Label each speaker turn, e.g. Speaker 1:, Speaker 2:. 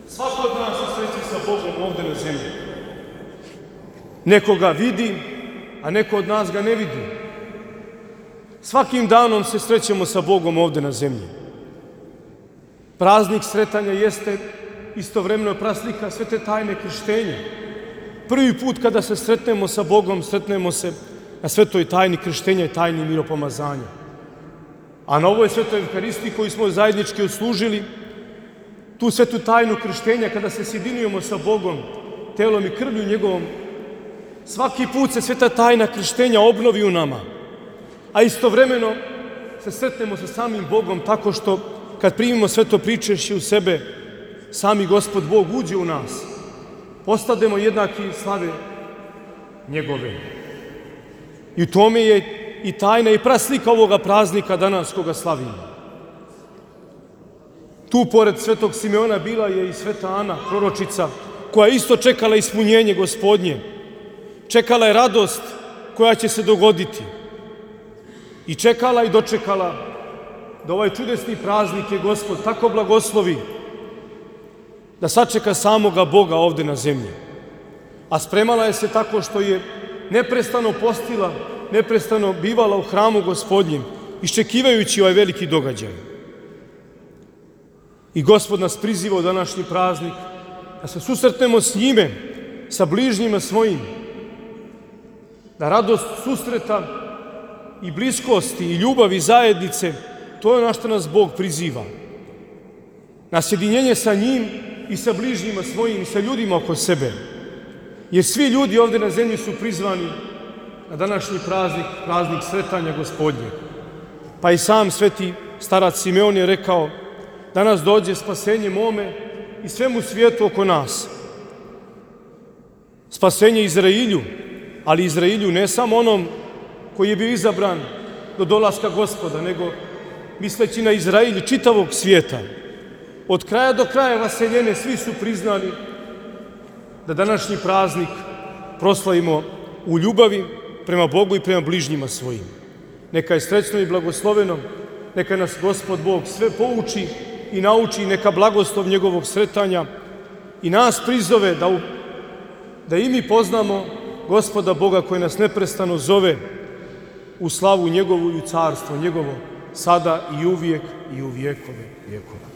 Speaker 1: Svako od nas se sreće sa Bogom ovde na zemlji. Neko ga vidi, a neko od nas ga ne vidi. Svakim danom se srećemo sa Bogom ovde na zemlji. Praznik sretanja jeste istovremeno praslika svete tajne krštenja. Prvi put kada se sretnemo sa Bogom, sretnemo se na svetoj tajni krštenja i tajni miropomazanja. A na ovoj svetoj Evharistiji koju smo zajednički odslužili, tu svetu tajnu krštenja, kada se sjedinujemo sa Bogom, telom i krvlju njegovom, svaki put se sveta tajna krštenja obnovi u nama, a istovremeno se sretnemo sa samim Bogom tako što kad primimo sveto pričešće u sebe, sami Gospod Bog uđe u nas, postademo jednaki slave njegove. I u tome je i tajna i praslika ovoga praznika danas koga slavimo. Tu pored svetog Simeona bila je i sveta Ana, proročica, koja je isto čekala ispunjenje Gospodnje. Čekala je radost koja će se dogoditi. I čekala i dočekala da ovaj čudesni praznik je Gospod tako blagoslovi da sačeka samoga Boga ovde na zemlji. A spremala je se tako što je neprestano postila, neprestano bivala u hramu Gospodnjem, iščekivajući ovaj veliki događaj. I Gospod nas priziva u današnji praznik da se susretnemo s njime, sa bližnjima svojim, da radost susreta i bliskosti i ljubavi zajednice, to je ono što nas Bog priziva. Na sjedinjenje sa njim i sa bližnjima svojim i sa ljudima oko sebe. Jer svi ljudi ovde na zemlji su prizvani na današnji praznik, praznik sretanja Gospodnjeg. Pa i sam sveti starac Simeon je rekao: danas dođe spasenje mome i svemu svijetu oko nas. Spasenje Izrailju, ali Izrailju ne samo onom koji je bio izabran do dolaska Gospoda, nego misleći na Izrailju čitavog svijeta. Od kraja do kraja vaseljene svi su priznali da današnji praznik proslavimo u ljubavi prema Bogu i prema bližnjima svojim. Neka je srećno i blagosloveno, neka nas Gospod Bog sve pouči i nauči, neka blagoslov njegovog sretanja i nas prizove da i mi poznamo Gospoda Boga koji nas neprestano zove u slavu njegovu i u carstvo njegovo, sada i uvijek i u vjekove vjekova.